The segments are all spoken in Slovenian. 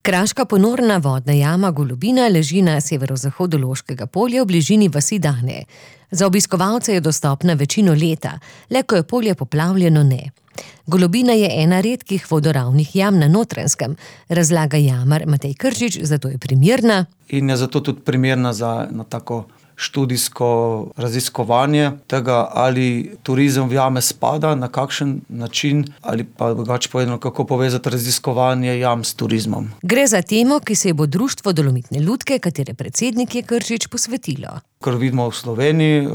Kraška ponorna vodna jama Golobina leži na severozahodu Loškega polja v bližini vasi Dane. Za obiskovalce je dostopna večino leta, le ko je polje poplavljeno ne. Golobina je ena redkih vodoravnih jam na Notranjskem, razlaga jamar Matej Kržič, zato je primerna. In je zato tudi primerna za tako študijsko raziskovanje tega, ali turizem v jame spada, na kakšen način, ali pa drugače povedano, kako povezati raziskovanje jam s turizmom. Gre za temo, ki se bo Društvo Dolomitne lutke, katere predsednik je Kržič, posvetilo. Ker vidimo v Sloveniji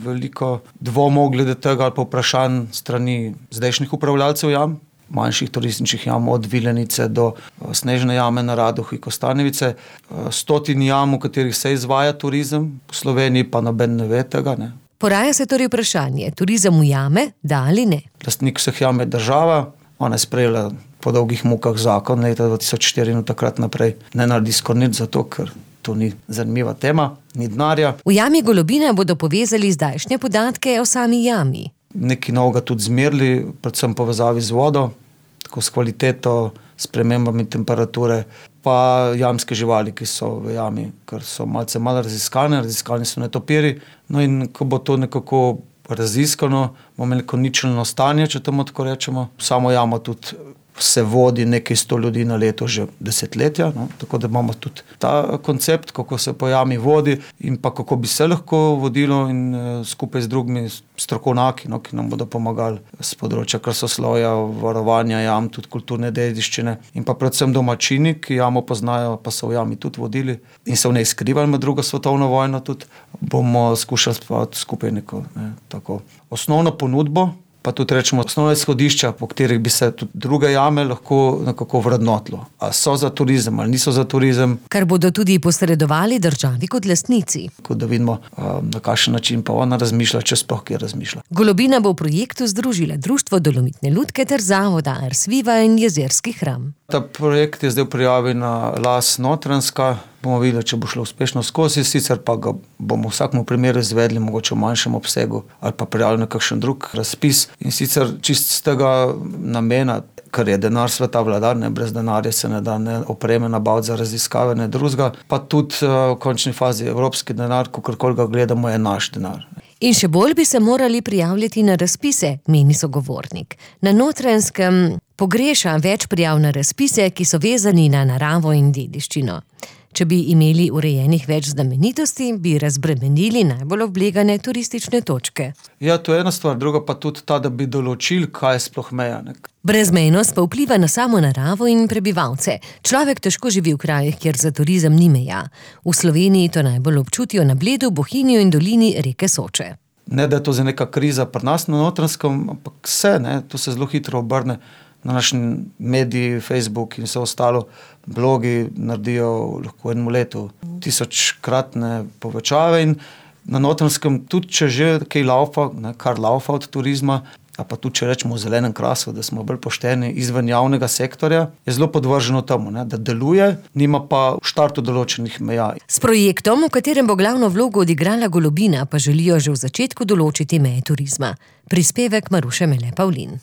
veliko dvomov glede tega ali pa vprašanj strani zdajšnjih upravljalcev jam, manjših turističnih jam, od Vilenice do Snežne jame na Radohi, Kostanjevice, 100 jam, v katerih se izvaja turizem, v Sloveniji pa noben ne ve tega. Ne. Poraja se torej vprašanje, turizem v jame, da ali ne? Lastnik vseh jam je država, ona je sprejela po dolgih mukah zakon leta 2004 in takrat naprej ne naredi skoraj nič zato, ker to ni zanimiva tema, ni denarja. V jami Golobina bodo povezali zdajšnje podatke o sami jami. Nekaj novega tudi zmerili, predvsem povezavi z vodo, tako s kvaliteto, spremembami temperature, pa jamske živali, ki so v jami, ker so malce malo raziskane so netopiri. No in ko bo to nekako raziskano, bomo imeli neko ničelno stanje, če temu tako rečemo. Samo jamo tudi se vodi nekaj 100 ljudi na leto že desetletja, no? Tako da imamo tudi ta koncept, kako se po jami vodi in pa kako bi se lahko vodilo in skupaj z drugimi strokovnjaki, no, ki nam bodo pomagali z področja krasoslovja, varovanja jam, tudi kulturne dediščine in pa predvsem domačini, ki jamo poznajo, pa so v jami tudi vodili in se v njej skrivali med drugo svetovno vojno tudi, bomo skušali spraviti skupaj neko tako osnovno ponudbo, pa tudi rečemo osnovne izhodišča, po katerih bi se tudi druge jame lahko nekako vrednotilo. A so za turizem ali niso za turizem. Kar bodo tudi posredovali državi kot lastnici. Tako da vidimo, na kakšen način pa ona razmišlja, če sploh kje razmišlja. Golobina bo v projektu združila Društvo Dolomitne lutke ter zavoda Ars Viva in Jezerski hram. Ta projekt je zdaj v prijavi na Las Notranjska. Bomo videli, če bo šlo uspešno skozi, sicer pa ga bomo v vsakem primeru izvedli, mogoče v manjšem obsegu ali pa prijavili na kakšen drug razpis. In sicer čist z tega namena, ker je denar sveta vladar, ne, brez denarja se ne da ne opreme nabaviti za raziskave, ne drugega, pa tudi v končni fazi evropski denar, kakorkoli ga gledamo, je naš denar. In še bolj bi se morali prijavljati na razpise, meni sogovornik. Na Notranjskem pogreša več prijav na razpise, ki so vezani na naravo in dediščino. Če bi imeli urejenih več znamenitosti, bi razbremenili najbolj oblegane turistične točke. Ja, to je ena stvar, druga pa tudi ta, da bi določili, kaj je sploh meja. Brezmejnost pa vpliva na samo naravo in prebivalce. Človek težko živi v krajih, kjer za turizem ni meja. V Sloveniji to najbolj občutijo na Bledu, Bohinju in dolini reke Soče. Ne, da je to za neka kriza pri nas na Notranjskem, ampak to se zelo hitro obrne. Na naši mediji, Facebook in vse ostalo, blogi naredijo lahko v enem letu 1000-kratne povečave in na Notranjskem tudi, če že kaj laufa, kar laufa od turizma, a pa tudi, če rečemo v zelenem krasu, da smo bolj pošteni izven javnega sektorja, je zelo podvrženo temu, da deluje, nima pa v štartu določenih meja. S projektom, v katerem bo glavno vlogo odigrala Golobina, pa želijo že v začetku določiti meje turizma. Prispevek Maruše Mele Pavlin.